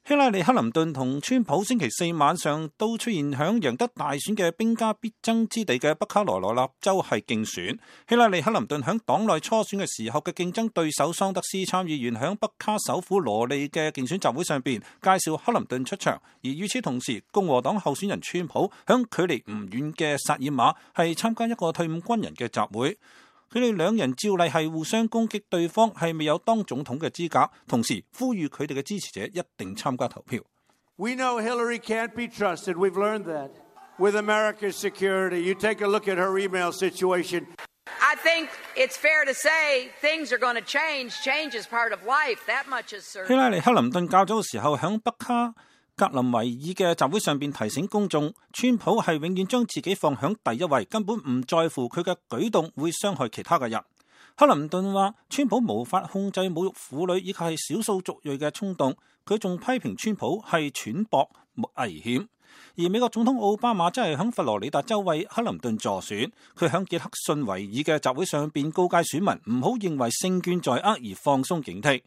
希拉里、克林頓同川普星期四晚上都出現響贏得大選嘅兵家必爭之地嘅北卡羅來納州係競選。希拉里、克林頓響黨內初選嘅時候嘅競爭對手桑德斯參議員響北卡首府羅利嘅競選集會上邊介紹克林頓出場，而與此同時，共和黨候選人川普響距離唔遠嘅薩爾馬係參加一個退伍軍人嘅集會。佢哋兩人照例係互相攻擊對方係未有當總統嘅資格，同時呼籲佢哋嘅支持者一定參加投票。We know Hillary can't be trusted. We've learned that. With America's security, you take a look at her email situation. I think it's fair to say things are going to change. Change is part of life. That much is certain. 希拉里、克林頓較早嘅時候響北卡格林維爾嘅集會上邊提醒公眾，川普係永遠將自己放響第一位，根本唔在乎佢嘅舉動會傷害其他嘅人。克林頓話川普無法控制侮辱婦女以及係少數族裔嘅衝動，佢仲批評川普係淺薄危險。而美國總統奧巴馬真係響佛羅里達州為克林頓助選，佢響傑克遜維爾嘅集會上邊告誡選民唔好認為勝券在握而放鬆警惕。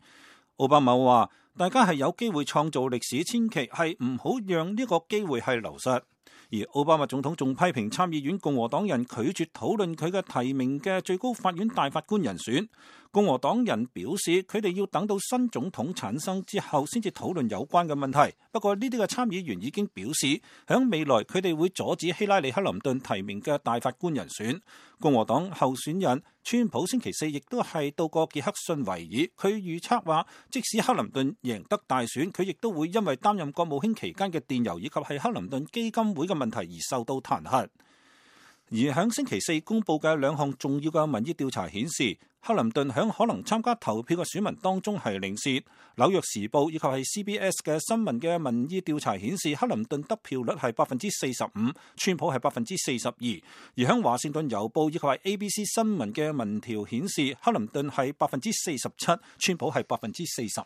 奧巴馬話大家係有機會創造歷史，千祈係唔好讓呢個機會係流失。而奧巴馬總統仲批評參議院共和黨人拒絕討論佢嘅提名嘅最高法院大法官人選。共和黨人表示佢哋要等到新總統產生之後先至討論有關嘅問題。不過呢啲嘅參議員已經表示響未來佢哋會阻止希拉里、克林頓提名嘅大法官人選。共和黨候選人川普星期四亦都係到過傑克遜維爾，佢預測話即使克林頓贏得大選，佢亦都會因為擔任國務卿期間嘅電郵以及係克林頓基金會嘅問題而受到彈劾。而響星期四公佈嘅兩項重要嘅民意調查顯示，克林頓響可能參加投票嘅選民當中係領先。紐約時報以及係 CBS 嘅新聞嘅民意調查顯示，克林頓得票率係45%，川普係42%。而響華盛頓郵報以及係 ABC 新聞嘅民調顯示，克林頓係47%，川普係45%。